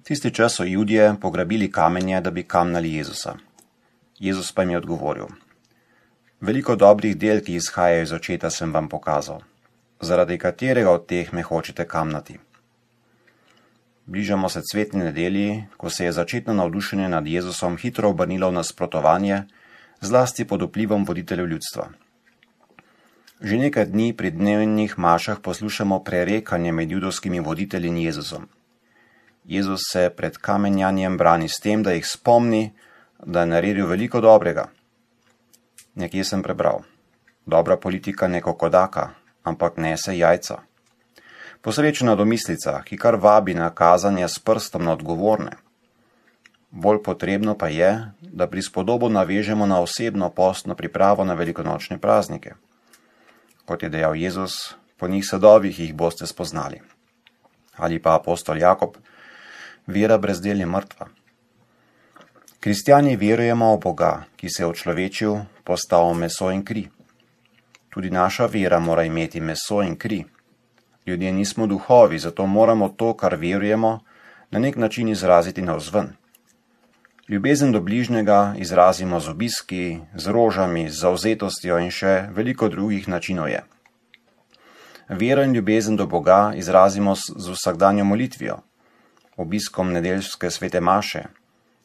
Tisti čas so Judje pograbili kamenje, da bi kamnali Jezusa. Jezus pa jim je odgovoril: Veliko dobrih del, ki izhajajo iz očeta, sem vam pokazal. Zaradi katerega od teh me hočete kamnati? Bližamo se cvetni nedelji, ko se je začetno navdušenje nad Jezusom hitro obrnilo v nasprotovanje, zlasti pod vplivom voditeljev ljudstva. Že nekaj dni pri dnevnih mašah poslušamo prerekanje med judovskimi voditelji in Jezusom. Jezus se pred kamenjanjem brani s tem, da jih spomni, da je naredil veliko dobrega. Nekje sem prebral: dobra politika ne kokodaka, ampak nese jajca. Posrečena domislica, ki kar vabi na kazanje s prstom na odgovorne. Bolj potrebno pa je, da prispodobo navežemo na osebno postno pripravo na velikonočne praznike. Kot je dejal Jezus, po njih sadovih jih boste spoznali. Ali pa apostol Jakob: vera brez del je mrtva. Kristjani verujemo v Boga, ki se je očlovečil, postal meso in kri. Tudi naša vera mora imeti meso in kri. Ljudje nismo duhovi, zato moramo to, kar verujemo, na nek način izraziti navzven. Ljubezen do bližnjega izrazimo z obiski, z rožami, z zavzetostjo in še veliko drugih načinov je. Vero in ljubezen do Boga izrazimo z vsakdanjo molitvijo, obiskom nedeljske svete maše,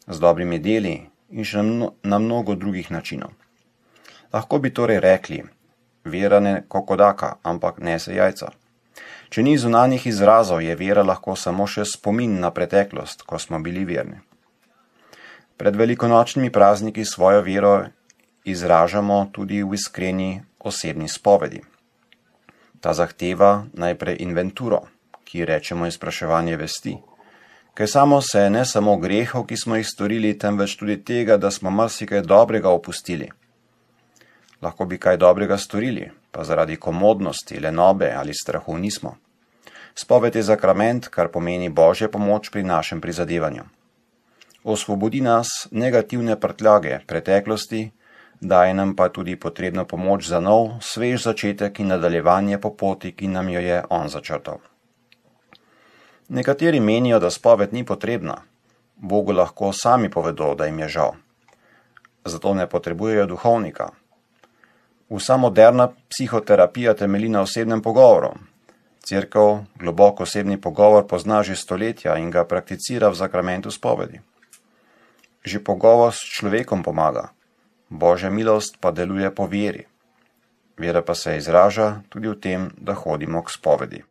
z dobrimi deli in še na mnogo drugih načinov. Lahko bi torej rekli: vera ne kokodaka, ampak nese jajca. Če ni zunanjih izrazov, je vera lahko samo še spomin na preteklost, ko smo bili verni. Pred velikonočnimi prazniki svojo vero izražamo tudi v iskreni osebni spovedi. Ta zahteva najprej inventuro, ki rečemo izpraševanje vesti, kaj samo se ne samo grehov, ki smo jih storili, temveč tudi tega, da smo marsikaj dobrega opustili. Lahko bi kaj dobrega storili, pa zaradi komodnosti, lenobe ali strahu nismo. Spoved je sakrament, kar pomeni Božja pomoč pri našem prizadevanju. Osvobodi nas negativne prtljage preteklosti, daje nam pa tudi potrebno pomoč za nov, svež začetek in nadaljevanje po poti, ki nam jo je on začrtal. Nekateri menijo, da spoved ni potrebna. Bogu lahko sami povedo, da jim je žal. Zato ne potrebujejo duhovnika. Vsa moderna psihoterapija temelji na osebnem pogovoru. Cerkev globok osebni pogovor pozna že stoletja in ga prakticira v sakramentu spovedi. Že pogovor s človekom pomaga, Božja milost pa deluje po veri. Vera pa se izraža tudi v tem, da hodimo k spovedi.